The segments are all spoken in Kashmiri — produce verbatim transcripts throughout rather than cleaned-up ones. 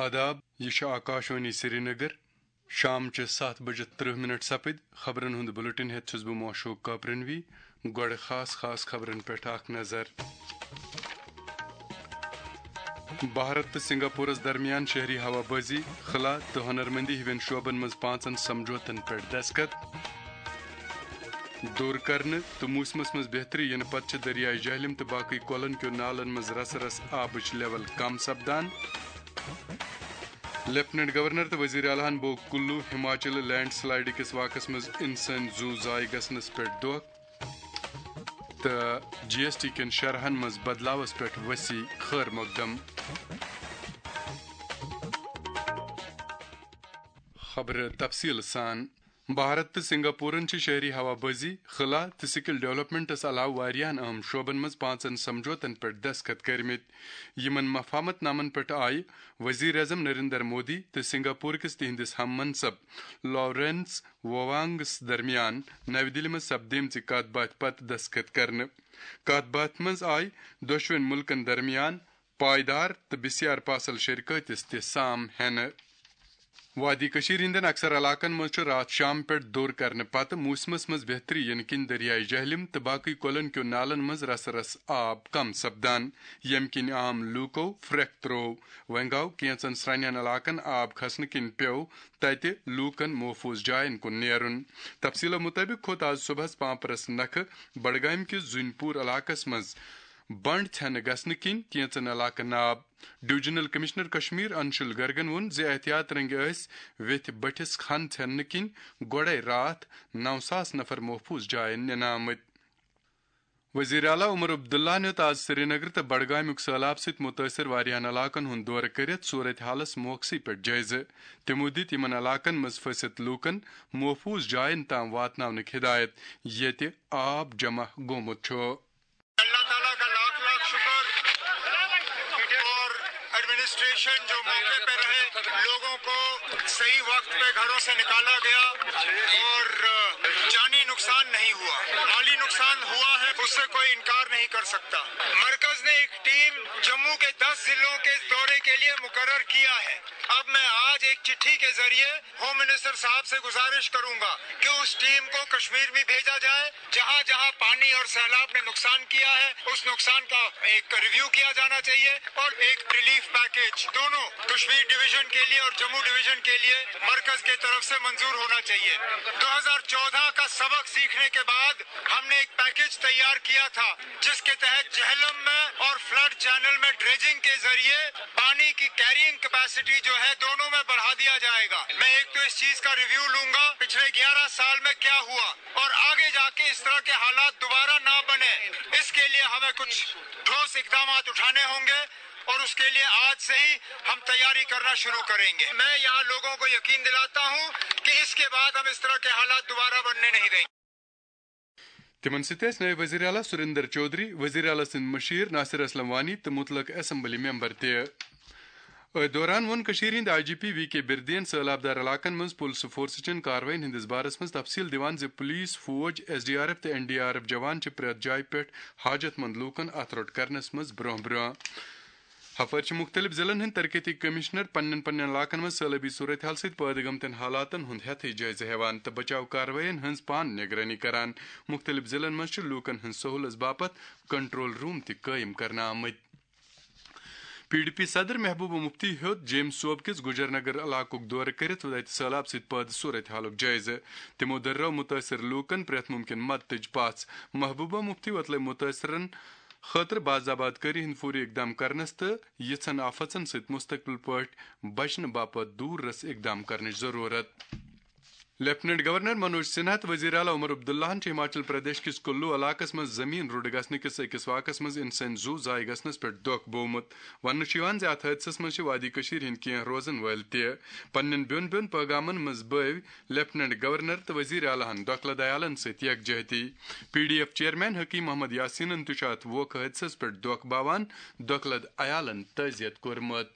آداب، یہِ چھُ آکاشوانی سرینگر۔ شام چہِ ستھ بجہِ ترٕہ منٹ سپٕدۍ۔ خبرن ہُنٛد بلیٹن ہٮ۪تھ چھُس بہٕ موشوق کاپرنوی۔ گۄڈٕ خاص خاص خبرن پٮ۪ٹھ اکھ نظر۔ بھارت تہٕ سنگاپورس درمیان شہری ہوا بازی، خلا تہٕ ہنرمندی ہِوٮ۪ن شعبن منٛز پانٛژن سمجھوتن پٮ۪ٹھ دستخط۔ دوٗر کرنہٕ تہٕ موسمس منٛز بہتری یِنہٕ پتہٕ چھِ دریاے جہلم تہٕ باقٕے کۄلن کیو نالن منٛز رسہٕ رسہٕ آبٕچ لیول کم سپدان۔ لیفٹیننٹ گورنر تہٕ وزیر اعلیٰ ہن بوگ کُلو ہماچل لینڈ سلائیڈ کِس واقعس منٛز انسٲنی زُو ضایع گژھنس پٮ۪ٹھ دۄکھ۔ تہٕ جی ایس ٹی کٮ۪ن شرحن منٛز بدلاوس پٮ۪ٹھ ؤسی خٲر مقدم۔ خبرٕ تفصیٖل سان۔ بھارت تہٕ سنگاپورن چھِ شہری ہوا بازی، خلا تہٕ سکل ڈیولپمنٹس علاوٕ واریاہن اہم شعبن منٛز پانٛژن سمجھوتن پٮ۪ٹھ دستخط کٔرمٕتۍ۔ یِمن مفاہمت نامن پٮ۪ٹھ آیہِ وزیر اعظم نریندر مودی تہٕ سنگاپور کِس تِہنٛدِس ہم منصب لارنس ووانگس درمیان نَوِ دِلہِ منٛز سپدیمژِ کتھ باتھِ پتہٕ دستخط کرنہٕ۔ کتھ باتھِ منٛز آیہِ دۄشوٕنۍ مُلکن درمیان پائیدار تہٕ بسیار پاسل شراکتس تہِ سام ہینہٕ۔ وادی کٔشیٖر ہٕنٛدٮ۪ن اکثر علاقن منٛز چھُ راتھ شام پٮ۪ٹھ دوٚر کرنہٕ پتہٕ موسمس منٛز بہتری یِنہٕ کِنۍ دریاے جہلم تہٕ باقٕے کۄلن کیو نالن منٛز رسہٕ رسہٕ آب کم سپدان، ییٚمہِ کِنۍ عام لوٗکو پھرٛکھ ترٛوو۔ وۄنۍ گوٚو کینٛژن سرٛنٮ۪ن علاقن آب کھسنہٕ کِنۍ پیوٚو تتہِ لوٗکن محفوٗظ جاین کُن نیرُن۔ تفصیٖلو مُطٲبِق کھوٚت آز صُبحس پامپرس نکھٕ بڈگامہِ کِس زُنۍ پوٗر علاقس منٛز بنڈ ژھٮ۪نہٕ گژھنہٕ کِنۍ کینٛژن علاقن آب۔ ڈویژنل کمشنر کشمیر انشل گرگن ووٚن زِ احتیاط رنگہِ ٲسۍ ویتھِ بٔٹھِس کھن ژھٮ۪نہٕ کِنۍ گۄڈے راتھ نو ساس نفر محفوظ جاین نِنہٕ آمٕتۍ۔ وزیر اعلیٰ عمر عبداللہ نیوٗت آز سرینگر تہٕ بڈگامیُک سٔہلاب سۭتۍ مُتٲثر واریاہن علاقن ہُنٛد دورٕ کٔرِتھ صورت حالس موقعسٕے پٮ۪ٹھ جٲیزٕ۔ تِمو دِتۍ یِمن علاقن منٛز پھٔسِتھ لوٗکن محفوٗظ جاین تام واتناونٕکۍ ہدایت، ییٚتہِ آب جمع گوٚمُت چھُ۔ اللہ تعالیٰ کا لاکھ لاکھ شکر اور ایڈمنسٹریشن جو موقع پہ رہے، لوگوں کو صحیح وقت پہ گھروں سے نکالا گیا اور جانی نقصان نہیں ہوا، مالی نقصان ہوا ہے، اس سے کوئی انکار نہیں کر سکتا۔ مرکز نے ایک ٹیم جموں کے دس ضلعوں کے دورے کے لیے مقرر کیا ہے۔ اب میں آج ایک چٹھی کے ذریعے ہوم منسٹر صاحب سے گزارش کروں گا کہ اس ٹیم کو کشمیر میں بھیجا جائے، جہاں جہاں پانی اور سیلاب نے نقصان کیا ہے، اس نقصان کا ایک ریویو کیا جانا چاہیے اور ایک ریلیف پیکج دونوں کشمیر ڈویژن کے لیے اور جموں ڈویژن کے لیے مرکز کی طرف سے منظور ہونا چاہیے۔ دو ہزار چودہ کا سبق سیکھنے کے بعد ہم نے ایک پیکج تیار کیا تھا، جس کے تحت جہلم میں اور فلڈ چینل میں ڈریجنگ کے ذریعے پانی کی کیرینگ کیپیسٹی جو ہے، دونوں میں بڑھا دیا جائے گا۔ میں ایک تو اس چیز کا ریویو لوں گا، پچھلے گیارہ سال میں کیا ہوا اور آگے جا کے اس طرح کے حالات دوبارہ نہ بنے، اس کے لیے ہمیں کچھ ٹھوس اقدامات اٹھانے ہوں گے اور اس کے لیے آج سے ہی ہم تیاری کرنا شروع کریں گے۔ میں یہاں لوگوں کو یقین دلاتا ہوں کہ اس کے بعد ہم اس طرح کے حالات دوبارہ بننے نہیں دیں گے۔ تِمن سۭتۍ ٲسۍ نٲیِب وزیر اعلیٰ سُریندر چودھری، وزیر اعلیٰ سٕنٛدۍ مُشیر ناصر اسلم وانی تہٕ مُتلق اسمبلی ممبر تہِ۔ أتھۍ دوران ووٚن کٔشیٖرِ ہٕنٛدۍ آئی جی پی وی کے بِردین سٲلابدار علاقن منٛز پُلسہٕ فورسہٕ چٮ۪ن کاروٲیین ہٕنٛدِس بارس منٛز تفصیٖل دِوان زِ پُلیٖس، فوج، ایس ڈی آر ایف تہٕ این ڈی آر ایف جوان چھِ پرٛٮ۪تھ جایہِ پٮ۪ٹھ حاجت مند لوٗکن اتھ روٚٹ کرنس منٛز برٛونٛہہ برٛونٛہہ۔ ہپٲرۍ چھِ مُختٔلِف ضلعن ہٕنٛدۍ ترقیتی کٔمِشنر پننٮ۪ن پننٮ۪ن علاقن منٛز سٲلٲبی صورتحال سۭتۍ پٲدٕ گٔمتٮ۪ن حالاتن ہُنٛد ہٮ۪تھٕے جٲیزٕ ہٮ۪وان تہٕ بچاو کاروٲیین ہٕنٛز پانہٕ نگرٲنی کران۔ مُختٔلِف ضلعن منٛز چھِ لوٗکن ہٕنٛز سہوٗلژ باپتھ کنٹرول روم تہِ قٲیِم کرنہٕ آمٕتۍ۔ پی ڈی پی صدر محبوبہ مفتی ہیوٚت جیمۍ صوبہٕ کِس گُجر نگر علاقُک دورٕ کٔرِتھ تَتہِ سٔہلاب سۭتۍ پٲدٕ صورت حالُک جٲیزٕ۔ تِمو دٔررٲو مُتٲثِر لوٗکَن پرٛٮ۪تھ مُمکِن مدتٕچ پژھ۔ محبوبہ مفتی وۄتلٲوۍ مُتٲثِرَن خٲطرٕ باضابطہ کٲری ہٕنٛدۍ فوری اقدام کرنس تہٕ یِژھن آفژن سۭتۍ مستقبل پٲٹھۍ بچنہٕ باپتھ دوٗر رس اقدام کرنٕچ ضروٗرت۔ لیفٹیننٹ گورنر منوج سنہا تہٕ وزیر اعلیٰ عمر عبداللہن چھِ ہماچل پردیش کِس کُلو علاقس منٛز زمین رُڈٕ گژھنہٕ کِس أکِس واقعس منٛز انسٲنی زُو ضایع گژھنس پٮ۪ٹھ دۄکھ بوومُت۔ وننہٕ چھُ یِوان زِ اتھ حٲدثس منٛز چھِ وادی کٔشیٖر ہٕنٛدۍ کینٛہہ روزن وٲلۍ تہِ۔ پننٮ۪ن بیوٚن بیوٚن پٲغامن منٛز بٲوۍ لیفٹیننٹ گورنر تہٕ وزیر اعلیٰ ہن دۄکھلہٕ دیالن سۭتۍ یکجہتی۔ P D F chairman Hakim Muhammad یاسینن تہِ چھُ اتھ ووکھٕ حٲدثس پٮ۪ٹھ دۄکھ باوان دۄکھلہٕ عیالن تعزیت کوٚرمُت۔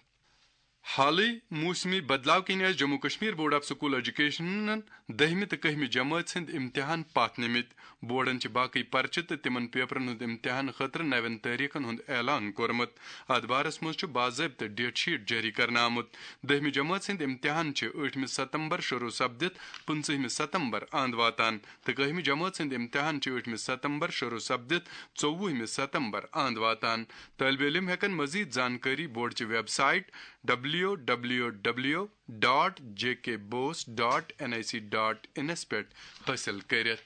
حالٕے موسمی بدلاو کِنۍ ٲسۍ Jammu Kashmir board of school ایجوکیشنن دٔہمہِ تہٕ کٔہمہِ جمٲژ ہٕنٛدۍ امتحان پتھ نِمٕتۍ۔ بورڈن چھِ باقٕے پرچہِ تہٕ تِمن پیپرن ہُنٛد امتحان خٲطرٕ نوٮ۪ن تٲریخن ہُنٛد اعلان کوٚرمُت۔ اتھ بارس منٛز چھُ باضٲبطہٕ ڈیٹ شیٹ جٲری کرنہٕ آمُت۔ دٔہمہِ جمٲژ ہٕنٛدۍ امتحان چھِ ٲٹھمہِ ستمبر شروع سپدِتھ پٕنٛژٕہمہِ ستمبر اند واتان تہٕ کٔہمہِ جمٲژ ہٕنٛدۍ امتحان چھِ ٲٹھمہِ ستمبر شروع سپدِتھ ژوٚوُہمہِ ستمبر اند واتان۔ طٲلبہِ علم ہٮ۪کن مزید زانکٲری بورڈچہِ website W W W dot J K BOSE dot N I C dot انس پٮ۪ٹھ حٲصِل کٔرِتھ۔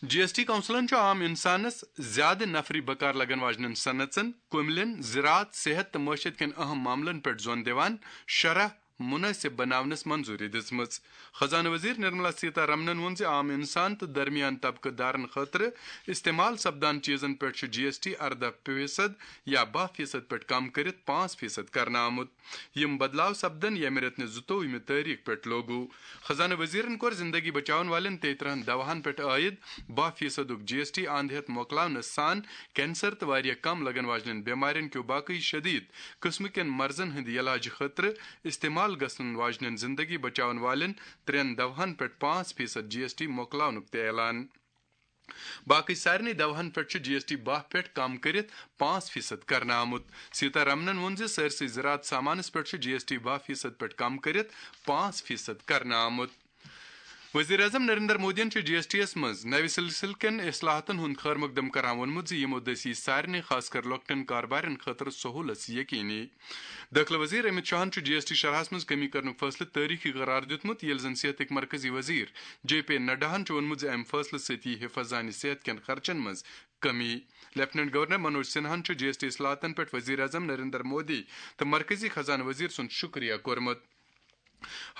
جی ایس ٹی کونسلن چھُ عام انسانس زیادٕ نفری بکار لگن واجنٮ۪ن صنعژن، کُملٮ۪ن، زراعت، صحت تہٕ معیشت کٮ۪ن اہم معاملن پٮ۪ٹھ زون دِوان شرح مناسب بناونس منظوری دِژمٕژ۔ خزانہٕ وزیر نرملا سیتا رمنن ووٚن زِ عام انسان تہٕ درمیان طبقہٕ دارن خٲطرٕ استعمال سپدان چیزن پٮ۪ٹھ چھُ جی ایس ٹی ارداہ فیصد یا باہ فیصد پٮ۪ٹھ کم کٔرِتھ پانٛژھ فیصد کرنہٕ آمُت۔ یِم بدلاو سپدن ییٚمہِ رٮ۪تہٕ نہِ زٕتووُہمہِ تٲریخ پٮ۪ٹھ لاگو۔ خزانہٕ وزیرن کوٚر زندگی بچاون والٮ۪ن تیٚیہِ ترہن دواہن پٮ۪ٹھ عائد باہ فیصدُک جی ایس ٹی اند ہٮ۪تھ مۄکلاونہٕ سان کینسر تہٕ واریاہ کم لگن واجنٮ۪ن بٮ۪مارٮ۪ن کیو باقٕے شدید قٕسمہٕ کٮ۪ن مرضن ہٕنٛدِ علاجہٕ خٲطرٕ استعمال گژھن واجنٮ۪ن زندگی بچاون والٮ۪ن ترٛٮ۪ن دواہن پٮ۪ٹھ پانٛژھ فیصد جی ایس ٹی مۄکلاونُک تہِ اعلان۔ باقٕے سارنٕے دواہن پٮ۪ٹھ چھُ جی ایس ٹی باہ پٮ۪ٹھ کم کٔرِتھ پانٛژھ فیصد کرنہٕ آمُت۔ سیتا رمنن ووٚن زِ سٲرسٕے زراعت سامانس پٮ۪ٹھ چھُ جی ایس ٹی باہ فیصد پٮ۪ٹھ کم کٔرِتھ پانٛژھ فیصد کرنہٕ آمُت۔ وزیر اعظم نریندر مودیَن چھُ جی ایس ٹی یَس منٛز نوِ سلسلہٕ کٮ۪ن اصلاحاتن ہُنٛد خٲر مقدم کران ووٚنمُت زِ یِمو دٔسۍ یی سارنٕے، خاص کر لۄکٹٮ۪ن کاربارٮ۪ن خٲطرٕ سہوٗلژ یقینی۔ دٲخلہٕ وزیر امت شاہن چھُ جی ایس ٹی شرحس منٛز کمی کرنُک فٲصلہٕ تٲریخی قرار دیُتمُت، ییٚلہِ زن صحتٕکۍ مرکزی وزیر جے پی نڈاہن چھُ ووٚنمُت زِ امہِ فٲصلہٕ سۭتۍ یی حفاظانِ صحت کٮ۪ن خرچن منٛز کمی۔ لیفٹیننٹ گورنر منوج سنہاہن چھُ جی ایس ٹی اصلاحاتن پٮ۪ٹھ وزیر اعظم نریندر مودی تہٕ مرکزی خزانہٕ وزیر سُنٛد شُکریہ کوٚرمُت۔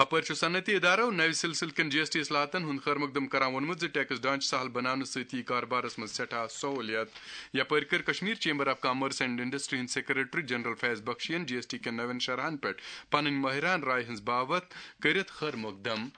ہپٲرۍ چھُ صنعتی ادارو نوِ سلسلہٕ کٮ۪ن جی ایس ٹی اصلاحاتن ہُنٛد خٲر مقدم کران ووٚنمُت زِ ٹیکس ڈھانچہٕ سہل بناونہٕ سۭتۍ یِیہِ کاربارس منٛز سٮ۪ٹھاہ سہوٗلیت۔ یپٲرۍ کٔر Kashmir chamber of commerce and industry ہٕنٛدۍ سیکرٹری جنرل فیض بخشیَن جی ایس ٹی کٮ۪ن نوٮ۪ن شرحن پٮ۪ٹھ پنٕنۍ ماہران راے ہٕنٛز باوتھ کٔرِتھ خٲر مقدم۔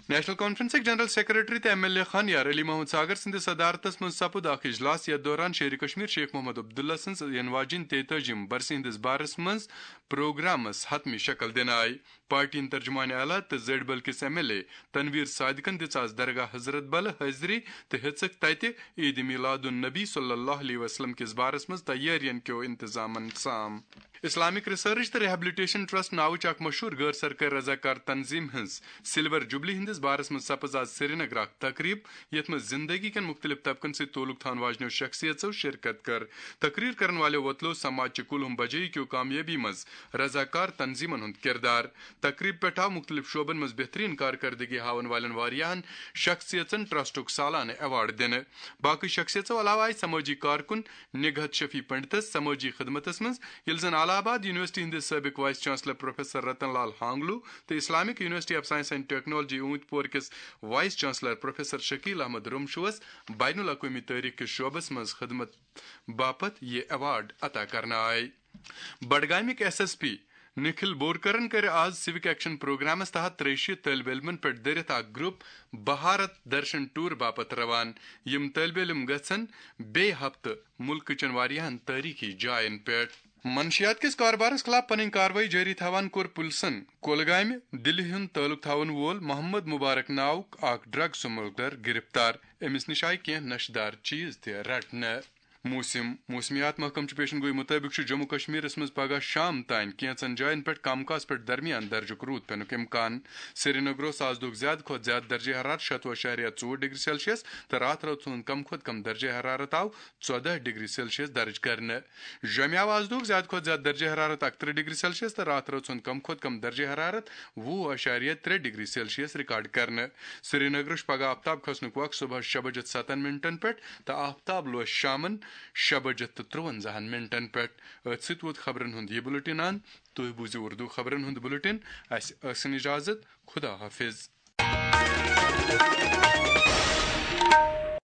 نیشنل کانفرنسٕکۍ جنرل سیکرٹری تہٕ ایم ایل اے خان یار علی محمد ساگر سٕنٛدِس صدارتس منٛز سپُد اکھ اجلاس، یتھ دوران شیرِ کشمیر شیخ محمد عبداللہ سٕنٛز یِنہٕ واجیٚنۍ تیتٲجِم برسہِ ہٕنٛدِس بارس منٛز پروگرامس حتمی شکل دِنہٕ آیہِ۔ پارٹی ہٕنٛدۍ ترجمان اعلیٰ تہٕ زیڈ بل کِس ایم ایل اے تنویر صادقن دِژ آز درگاہ حضرت بل حٲضری تہٕ ہیژٕکھ تتہِ عید میلاد النبی صلی اللہ علیہ وسلم کِس بارس منٛز تیٲرین کیو انتظامن سام۔ اسلامک ریسرچ تہٕ ریہبلیٹیشن ٹرسٹ ناوٕچ اکھ مشہوٗر غٲر سرکٲرۍ رضاکار تنظیم ہٕنٛز سلور جوبلی ہٕنٛدِس بارس منٛز سپٕز آز سرینگر اکھ تقریب، یتھ منٛز زندگی کٮ۪ن مختلف طبقن سۭتۍ تعلق تھاون واجنیو شخصیژو شرکت کٔر۔ تقریر کرن والیو وۄتلوو سماج چہِ کُلہُم بجٲیی کیو کامیٲبی منٛز رضاکار تنظیمن ہُنٛد کردار۔ تقریب پٮ۪ٹھ آو مختلف شعبن منٛز بہترین کارکردگی ہاون والٮ۪ن واریاہن شخصیژن ٹرسٹُک سالانہٕ ایوارڈ دِنہٕ۔ باقٕے شخصیژو علاوٕ آیہِ سمٲجی کارکُن نگہت شفیع پنڈتس سمٲجی خدمتس منٛز، ییٚلہِ زن الہ آباد یونیورسٹی ہٕنٛدِس سٲبق vice chancellor professor Ratan Lal Hangloo تہٕ Islamic university of science and technology Awantipora کِس vice chancellor professor Shakeel Ahmad رمشوس بین الاقوٲمی تٲریخ کِس شعبس منٛز خدمت باپتھ یہِ ایوارڈ عطا کرنہٕ آیہِ۔ بڈگامٕکۍ ایس ایس پی نکھل بورکرن کٔر آز سِوک ایکشن پروگرامس تحت ترٛیہِ شیٖتھ طٲلبہِ علمن پٮ۪ٹھ دٲرِتھ اکھ گروپ بھارت درشن ٹور باپتھ روان۔ یِم طٲلبہِ علم گژھن بیٚیہِ ہفتہٕ مُلکہٕ چٮ۪ن واریاہن تٲریخی جاین پٮ۪ٹھ۔ منشیات کِس کاربارس خلاف پنٕنۍ کاروٲیی جٲری تھاوان کوٚر پُلسن کولگامہِ دِلہِ ہُنٛد تعلق تھاوَن وول محمد مبارک ناوُک اکھ ڈرگ سمگلر گرفتار۔ أمِس نِش آیہِ کینٛہہ نشہٕ دار چیٖز تہِ رٹنہٕ۔ موسم۔ موسمیات محکمہٕ چہِ پیشن گویی مُطٲبِق چھُ جموں کشمیرس منٛز پگہہ شام تام کینٛژن جاین پٮ۪ٹھ کم کاس پٮ۪ٹھ درمیان درجُک روٗد پینُک امکان۔ سرینگرس آز دۄہُک زیادٕ کھۄتہٕ زیادٕ درجہ حرارت شتوُہ اعشاریہ ژور ڈگری سیلسیس تہٕ راتھ رٲژ ہُنٛد کم کھۄتہٕ کم درجہ حرارت آو ژۄدہ ڈگری سیلسیس درج کرنہٕ۔ جوٚمہِ آو آز دۄہُک زیادٕ کھۄتہٕ زیادٕ درجہ حرارت اکترٕہ ڈگری سیلسیس تہٕ راتھ رٲژ ہُنٛد کم کھۄتہٕ کم درجہ حرارت وُہ اعشاریہ ترٛےٚ ڈگری سیلسیس ریکارڈ کرنہٕ۔ سرینگرس چھُ پگہہ آفتاب کھسنُک وقت صبحس شےٚ بجہِ ستن منٹن پٮ۪ٹھ تہٕ آفتاب لوس شامن شےٚ بجہِ تہٕ ترٛونزہن منٹن پٮ۪ٹھ۔ أتھۍ سۭتۍ ووت خبرن ہُنٛد یہِ بُلٹن اند۔ تُہۍ بوٗزِو اردو خبرن ہُنٛد بُلٹن۔ اسہِ ٲسِن اجازت۔ خدا حافظ۔